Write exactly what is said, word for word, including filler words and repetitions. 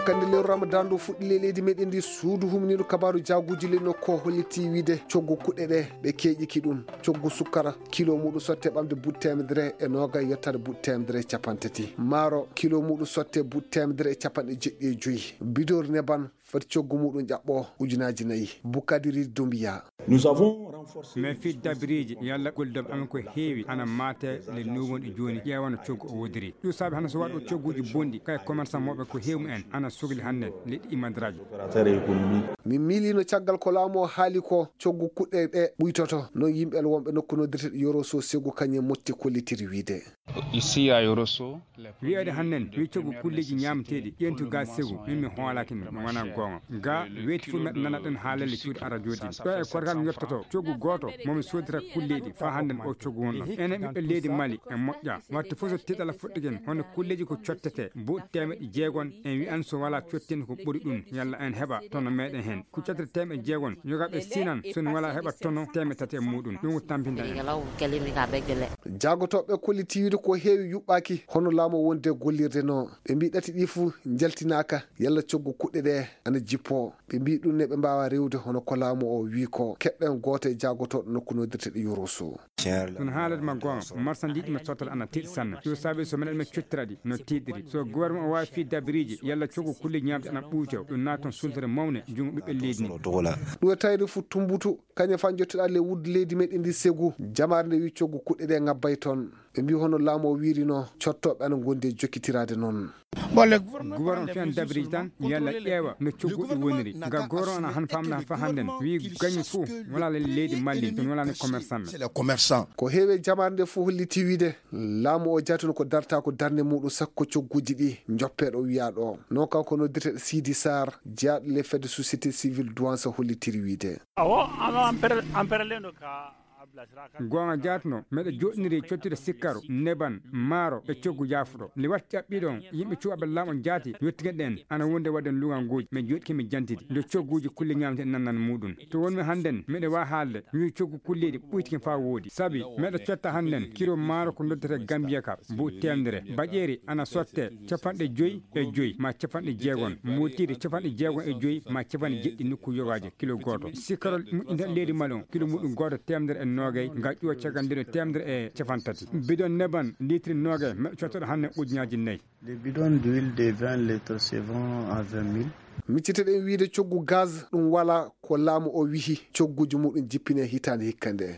Hannde lewru Ramadan ndu fuɗɗi ley leydi meɗen ndi, suudu humniiɗo kabaaru jaaguuji ley nokku o hollitii wiide coggu kuɗɗe ɗe ɓe keeƴiki ɗum. Coggu sukkara kilo muɗum sotte ɓamde buuɗi teemedere e noogay yottaade buuɗi teemedere e capanɗe tati. Maaro kilo muɗum sotte buuɗi teemedere e capanɗe jeɗɗi e joyi. Bidon neban foti coggu muɗum ƴaɓɓo ujunaaji nayi. Bukadiri Dumbiya. Mais fii dabiriiji yalla gollidoɓe amen ko heewi ana maate le nuuwon e jooni ƴeewano coggu o wodiri. Ɗum saabi hannde so waɗo cogguuji bonɗi kay commerçant mooɓe ko heewi mumen ana sogli hannde leɗɗi imadiraaji. Min miiliino caggal ko laamu o haali ko coggu kuɗɗe ɗe ɓuytoto. Noon yimɓe wonɓe nokku noddirteɗo Yoroso Segu kañum motti kollitiri wiide. Ici à Yoroso, Wiyeede hannden wi coggu kulleeji ñaamateeɗi ƴeentu ga Segu, min mi hoolaaki mi wona goonga. Ga weeti fof meɗa nana ɗen haalelle cuuɗi ara jooɗi ɗo e korgal mi yettoto coggu gooto momi soodira kulleeɗi faa hannden o coggu wonɗon. Enen ɓiɓɓe leydi Mali en moƴƴa. Watte fof so tiiɗala fuɗɗiken hono kulleeji ko cottete buuɗi teemeɗɗe jeegon en wi'an so walaa cottin ko ɓuri ɗum yalla en heɓa tono meɗen heen. Ko cottere teemeɗɗe jeegon yogaɓe sinan so en walaa heɓa tono teemeɗɗe tati e muɗum ɗum ko tampinta en. Jaagotooɓe kolliti wiide ko heewi yuɓɓaaki hono laamu o wonde gollirde no. Ɓe mbii ɗati ɗi fuu njaltinaaka yalla coggu kuɗɗe ɗe ana jippoo. Ɓe mbii ɗum ne ɓe mbaawaa rewde hono ko laamu o wii ko. Keɗɗen gooto e jaagotooɗo nokku noddirteɗo Yoroso. Kono haalata ma goonga marsandiiji ma sottal ana tiiɗi sanne ɗum saabi so meɗen men cottira ɗi no tiiɗiri so gouvernement o waawi fii dabiriiji yalla coggu kulle ñaamde ana ɓuyto ɗum naata toon sultere mawne junngo ɓiɓɓe leydi ndi. Ɗum e tawde fof tumbutu kañum faa njottiɗaa le wuddu leydi meɗen ndi Segu. Jamaare nde wi coggu kuɗɗe ɗe ngabbay toon. Ɓe mbii hono laamu o wiiri no cottooɓe ana ngondi e jokkitiraade noon. Gouvernement fiyan dabiriiji tan yalla ƴeewa no coggu ɗi woniri nga gouvernement ana han famna fa hannden wi gañi fof wala le leydi Mali ɗum wala ni commerçant. Ko heewi e jamaare nde fof holliti wiide laamu o jatino ko darta ko darnde muɗum sakko cogguuji ɗi njoppeeɗo wiyaaɗo o. Non kanko noddirteɗo Sidi Sarr jeyaaɗo le fedde société civile duwansa hollitiri wiide. Goonga jaatno meɗa joɗniri cottude sikkaro neban maaro e coggu jaafuɗo nde watti ƴaɓɓiɗon yimɓe cuɓaɓe laam on jaati yettigen ɗen ana wonde waɗen luganguuji min joɗki mi jantidi nde cogguuji kulle ñamte nannan muɗum to wonmi hannden meɗa wa haalde mi wi coggu kulleeɗi ɓuytiken faa woodi sabi meɗa cotta hannden kiro maaro ko noddete gambiya ka buuɗi temedere baƴeeri ana sotte capanɗe joyi e joyi ma capanɗe jeegon mootiri capanɗe jeegon e joyi ma capanɗe jeɗɗi nokku yogaaji kilo gooto sikkarol moƴƴinta leydi mali on kilo muɗum gooto temedere e noogay nga ƴuwa caggal nde no temedere e capanɗe tati bidon neban litri noogay meɗa cottoɗo hanne ujunaaji nayi. Les bidons d'huile de vingt litres se vendent à vingt mille. Micciteɗen wiide coggu gaz ɗum wala ko laamu o wihi cogguuji muɗum jippine hitaande hikka nde.